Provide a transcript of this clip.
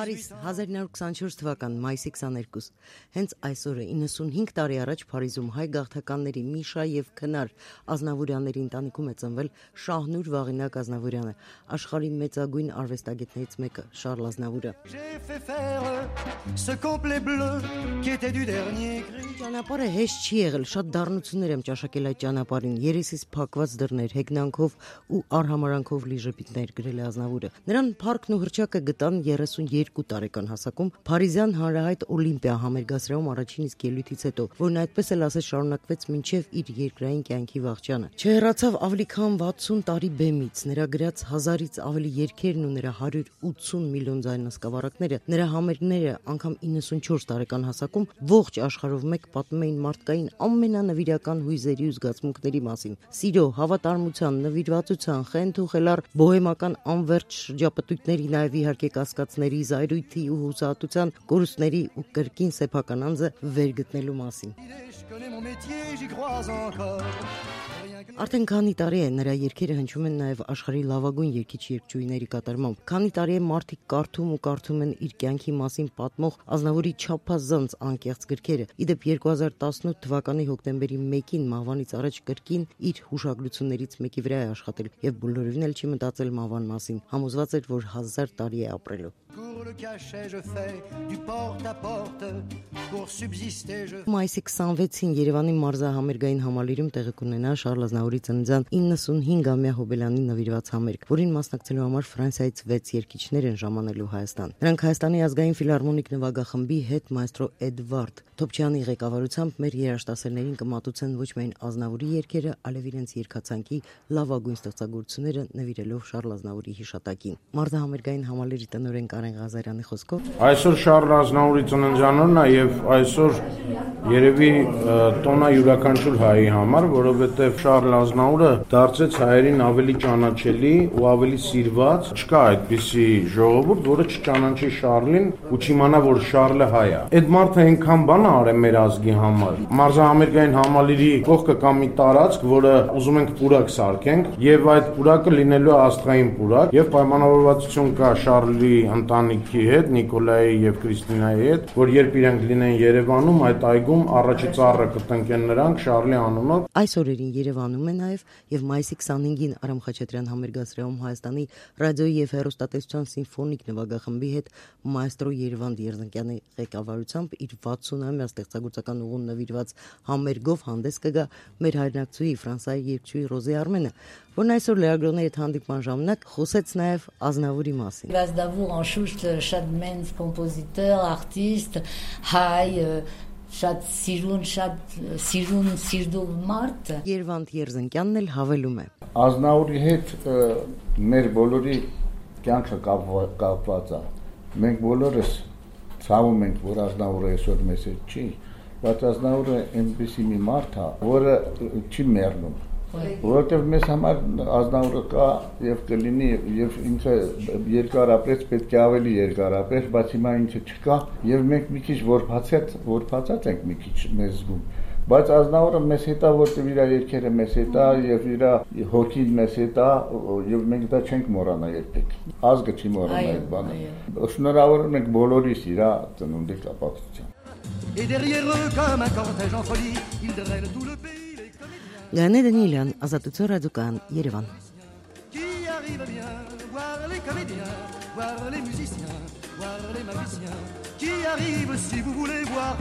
Փարիզ 1924 թվական մայիսի 22 հենց այսօրը 95 տարի առաջ Փարիզում հայ գաղթականների Միշա եւ Քնար Ազնավուրյանների ընտանիքում է ծնվել Շահնուր Վաղինակ Ազնավուրյանը, աշխարհի մեծագույն արվեստագետներից մեկը Շարլ Ազնավուրը։ Ճանապարհը հեշտ չի եղել, շատ դառնություններ եմ ճաշակել այդ ճանապարհին, երեսից փակված դռներ, հեգնանքով ու արհամարանքով լի ժպիտներ, գրել է Ազնավուրը։ Նրան փառքն ու հռչակը գտան 32 տարեկան հասակում Փարիզյան հանրահայտ Օլիմպիա համերգասրահում առաջին իսկ ելույթից հետո, որն այդպես էլ ասես շարունակվեց մինչև իր երկրային կյանքի վաղճանը։ Չհեռացավ ավելի քան 60 տարի բեմից, նրա գրած 1000-ից ավելի երգերն ու նրա 180 միլիոն ձայնասկավառակները, նրա համերգները անգամ 94 տարեկան հասակում ողջ աշխարհով մեկ պատմում էին մարդկային ամենանվիրական հույզերի ու զգացմունքների մասին՝ սիրո, հավատարմության, նվիրվածության, խենթ ու խելառ բոհեմական անվերջ շրջապտույտների, նաև իհարկե կասկածների, զայրույթի ու հուսահատության, կորուստների ու կրկին սեփական անձը վերգտնելու մասին։ Արդեն քանի տարի է նրա երգերը հնչում են նաև աշխարհի լավագույն երգիչ-երգչուհիների կատարմամբ։ Քանի տարի է մարդիկ կարդում են իր կյանքի մասին պատմող Ազնավուրի չափազանց անկեղծ գրքերը։ Իդեպ 2018 թվականի հոկտեմբերի 1-ին մահվանից առաջ կրկին իր հուշագրություններից մեկի վրա է աշխատել եւ բոլորովին էլ չի մտածել մահվան մասին։ Համոզված էր, որ 1000 տարի է ապրելու։ Մայիսի 26-ին Երևանի մարզահամերգային համալիրում տեղի կունենա Շարլ Ազնավուրի ծննդյան 95-ամյա հոբելյանին նվիրված համերգ, որին մասնակցելու համար Ֆրանսիայից 6 երգիչներ են ժամանելու Հայաստան։ Նրանք Հայաստանի ազգային ֆիլհարմոնիկ նվագախմբի հետ մայստրո Էդվարդ Թոփչյանի ղեկավարությամբ մեր երաժշտասերներին կմատուցեն ոչ միայն Ազնավուրի երգերը, այլև իրենց երգացանկի լավագույն ստեղծագործությունները նվիրելով Շարլ Ազնավուրի հիշատակին։ Մարզահամերգային համալիրի տնօրեն Կարեն Ղազարյանի խոսքով այսօր Շարլ Ազնավուրի ծննդյանօրն է եւ այսօր երևի տոնա յուրաքանչյուր հայի համար, որովհետեւ Շարլ Ազնավուրը դարձեց հայերին ավելի ճանաչելի ու ավելի սիրված։ Չկա այդպիսի ժողովուրդ, որը չճանաչի Շարլին ու չիմանա, որ Շարլը հայ է։ Այդ մարդը այնքան բան է արել մեր ազգի համար։ Մարզահամերգային համալիրի կողքը կա մի տարածք, որը ուզում ենք պուրակ սարքենք, եւ այդ պուրակը լինելու է աստղային պուրակ, եւ պայմանավորվածություն կա Շարլի ընտանիքի հետ, Նիկոլայի եւ Կրիստինայի հետ, որ երբ իրենք լինեն Երևանում, այդ այգում առաջի ծառը կտնկեն նրանք Շարլի անունով։ Այս օրերին Երևանում է նաև եւ մայիսի 25-ին Արամ Խաչատրյան համերգասրահում Հայաստանի ռադիոյի եւ հեռուստատեսության սիմֆոնիկ նվագախմբի հետ մայստրո Երևան Երզանկյանի ղեկավարությամբ իր 60-ամյա ստեղծագործական ուղուն նվիրված համերգով հանդես կգա մեր հայրենակցուհի Ֆրանսիայի երգչուհի Ռոզե Արմենը, որն այսօր լրագրողների հետ հանդիպման ժամանակ խոսեց նաև Ազնավուրի մասին։ Ազնավուր անշուշտ շատ մեծ կոմպոզիտոր, արտիստ, հայ, շատ սիրուն մարդ։ Երվանդ Երզանկյանն էլ հավելում է. Ազնավուրի հետ մեր բոլորի կյանքը կապված է։ Մենք բոլորս ցավում ենք, որ Ազնավուրը այսօր մեզ հետ չի, բայց Ազնավուրը այնպիսի մի մարդ է, որը չի մեռնում։ Որովհետև մեզ համար Ազնավուրը կա եւ կլինի եւ ինքը երկար ապրեց, պետք է ավելի երկար ապրեր, բայց հիմա ինքը չկա եւ մենք մի քիչ որփացած ենք մի քիչ մեզ զգում, բայց Ազնավուրը մեզ հետ է, որտեղ իր երկերը մեզ հետ է եւ իր հոգին մեզ հետ է եւ մենք դա չենք մոռանա երբեք։ Ազգը չի մոռանա այդ բանը։ Շնորհավորում ենք բոլորիս իր ծնունդի կապակցությամբ։ Գանե Դանիելյան, Ազատություն ռադիոկայան, Երևան։ Qui arrive bien voir les comédiens, voir les musiciens, voir les magiciens, qui arrive si vous voulez voir